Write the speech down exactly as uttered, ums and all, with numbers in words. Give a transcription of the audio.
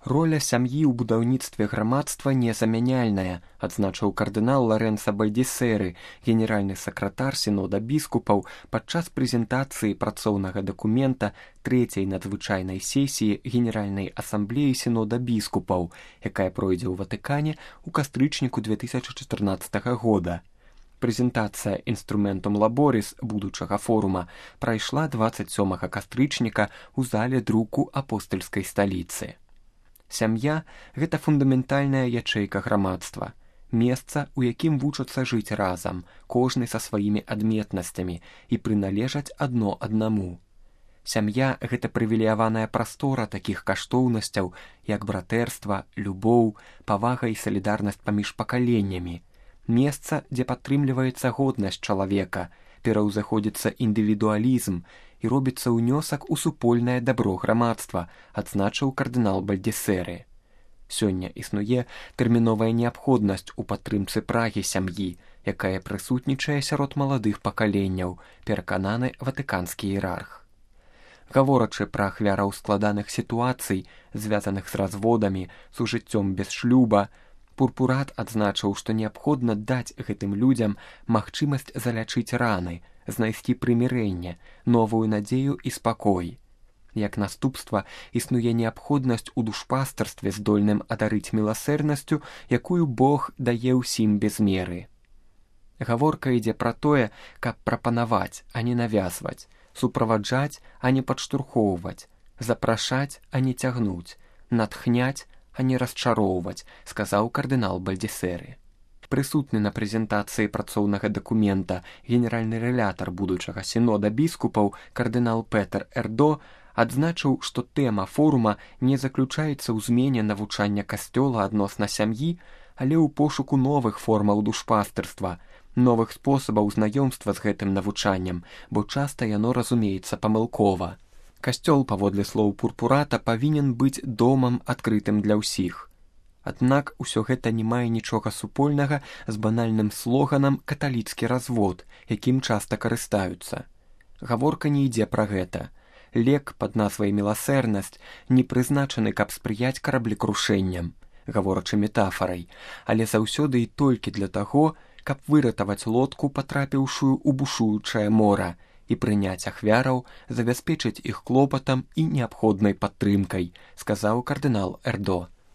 Роля сям'і ў будаўніцтве грамадства незамяняльная, адзначыў кардынал Лоренцо Бальдисери, генеральны сакратар сінода біскупаў, падчас прэзентацыі працоўнага дакумента трэцяй надзвычайнай сесіі Генеральнай асамблеі сінода біскупаў, якая пройдзе ў Ватыкане ў кастрычніку две тысячы чатырнаццатага года. Прэзентацыя інструментум лаборис будучага форума прайшла дваццаць сёмага кастрычніка ў зале друку апостальскай сталіцы. Сям'я – гэта фундаментальная ячэйка грамадства, месца, у якім вучацца жыць разам, кожны са сваімі адметнасцямі і прыналежаць адно аднаму. Сям'я – гэта прывілеяваная прастора такіх каштоўнасцяў, як братэрства, любоў, павага і салідарнасць паміж пакаленнямі. Месца, дзе падтрымліваецца годнасць чалавека, пераўзаходзіцца індывідуалізм і робіцца ўнёсак у супольнае дабро грамадства, адзначыў кардынал Бальдисери. Сёння існуе тэрміновая неабходнасць у падтрымцы прагі сям'і, якая прысутнічае сярод маладых пакаленняў, перакананы ватыканскі іерарх. Гаворачы пра ахвяраў складаных сітуацый, звязаных з разводамі, сужыццём без шлюба, Пурпурат адзначыў, што неабходна даць гэтым людзям магчымасць залячыць раны, знайсці прымірэнне, новую надзею і спакой. Як наступства, існуе неабходнасць у душпастарстве здольным адарыць міласэрнасцю, якую Бог дае ўсім без меры. Гаворка ідзе пра тое, каб прапанаваць, а не навязваць, суправаджаць, а не падштурхоўваць, запрашаць, а не цягнуць, натхняць, а не расчароўваць, сказаў кардынал Бальдисери. Прысутны на прэзентацыі працоўнага дакумента генеральны рэлятар будучага сінода біскупаў кардынал Петер Эрдо адзначыў, што тэма форума не заключаецца ў змене навучання касцёла адносна сям'і, але ў пошуку новых формаў душпастырства, новых спосабаў знаёмства з гэтым навучаннем, бо часта яно разумеецца памылкова. Касцёл, паводле слоў Пурпурата, павінен быць домам адкрытым для ўсіх. Аднак усё гэта не мае нічога супольнага з банальным слоганам «каталіцкі развод», якім часта карыстаюцца. Гаворка не ідзе пра гэта. Лек пад назвай «міласэрнасць» не прызначаны, каб спрыяць караблекрушэнням, гаворачы метафарай, але заўсёды і толькі для таго, каб выратаваць лодку, патрапіўшую ў бушуючае мора, і прыняць ахвяраў, забяспечыць іх клопатам і неабходнай падтрымкай, сказаў кардынал Эрдо.